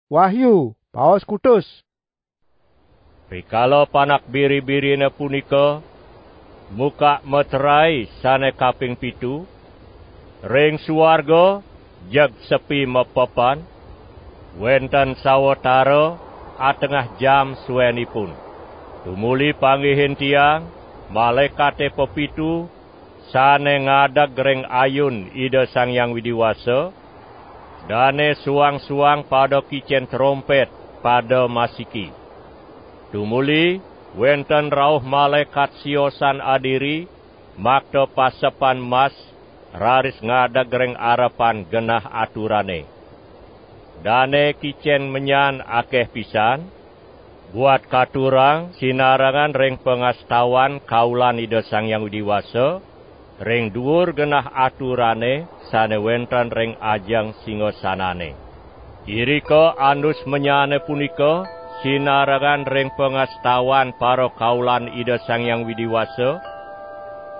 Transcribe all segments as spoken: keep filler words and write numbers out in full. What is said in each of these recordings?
Wahyu, paos kutus. Rikala panak biri-birine punika muka meterai sane kaping pitu, ring suarga jeg sepi mepepan, wenten sawatara atengah jam suenipun. Tumuli panggihin tiang, malaekate pepitu sane ngadeg ring ayun Ida Sang Hyang Widi Wasa, dane suang-suang pada kicen trompet, pada masiki. Tumuli wenten rauh malaekat siosan adiri, makta pasepan mas, raris ngadeg ring arepan genah aturane. Dane kicen menyan akeh pisan, buat katurang sinarengan ring pangastawan kaulan Ida Sang Hyang Widi Wasa, ring duur genah aturane sane wenten ring ajeng singasanane. Irika andus menyane punika sinarengan ring pangastawan parakaulan Ida Sang Hyang Widi Wasa,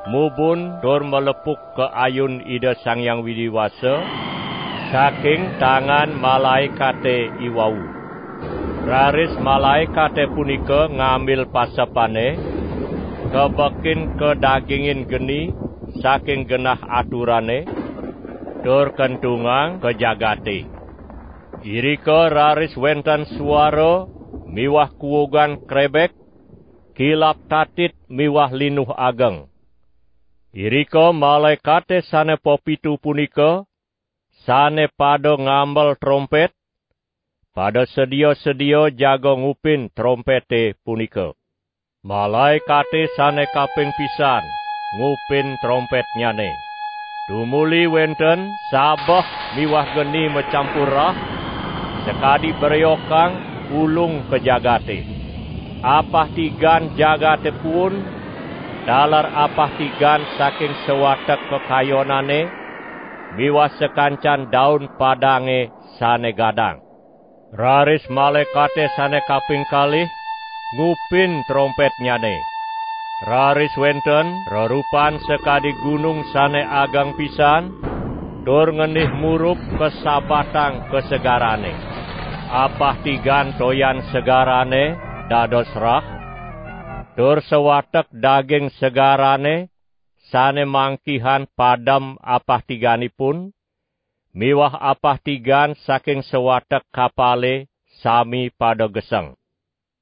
mubun tur malepuk ka ayun Ida Sang Hyang Widi Wasa saking tangan malaekate iwau. Raris malaekate punika ngambil pasepane, kabekin kadagingin geni saking genah aturane, tur kentungang ka jagate. Irika raris wenten suara miwah kuugan krebek, kilap tatit miwah linuh ageng. Irika malaekate sane pepitu punika, sane pada ngambel trompet, pada sedia-sedia jaga ngupin trompete punika. Malaekate sane kaping pisan ngupin trompetnyane. Tumuli wenten sabeh miwah geni macampur rah, sakadi breokang ulung ka jagate. Apah tigan jagate puun, taler apah tigan saking sawatek kakayonane, miwah sakancan daun padange sane gadang. Raris malaekate sane kaping kalih ngupin trompetnyane. Raris wenten rerupan sakadi gunung sane ageng pisan, tur ngenih murup kasabatang ka segarane. Apah tigan toyan segarane dados rah, tur sawatek daging segarane sane mangkihan padem apah tiganipun, miwah apah tigan saking sawatek kapale sami pada geseng.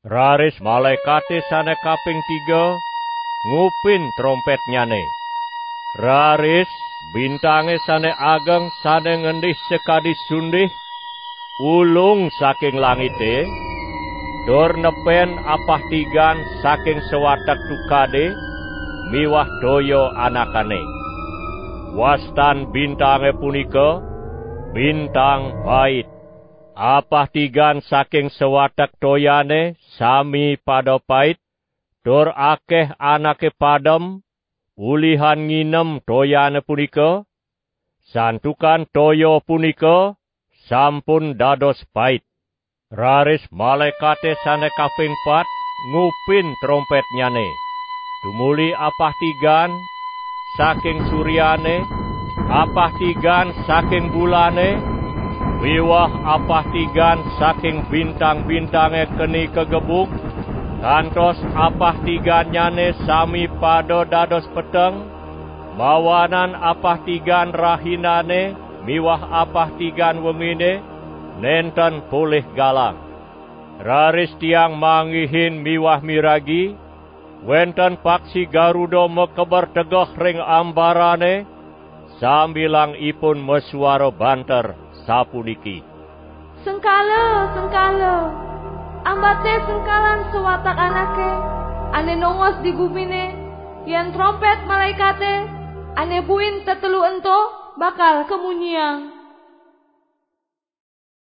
Raris malaekate sane kaping tiga ngupin trompetnyane. Raris bintange sane ageng sane ngendih sakadi sundih ulung saking langite, tur nepen apah tigan saking sawatek tukade miwah toya anakane. Wastan bintange punika bintang pait. Apah tigan saking sawatek toyane sami pada pait, tur akeh anake padem ulihan nginem toyane punika, santukan toya punika sampun dados pait. Raris malaekate sane kaping pat ngupin trompetnyane. Tumuli apah tigan saking suryane, apah tigan saking bulane, miwah apah tigan saking bintang-bintange keni kagebug, kantos apah tigannyane sami pada dados peteng, mawanan apah tigan rahinane miwah apah tigan wengine nenten polih galang. Raris tiang manggihin miwah miragi, wenten paksi garuda makeber tegeh ring ambarane, sambilang ipun masuara banter, sapuniki: "Sengkala, sengkala! Ambate sengkalan sawatek anake ane nongos di gumine, yen trompet malaekate ane buin tetelu ento bakal kamunyiang."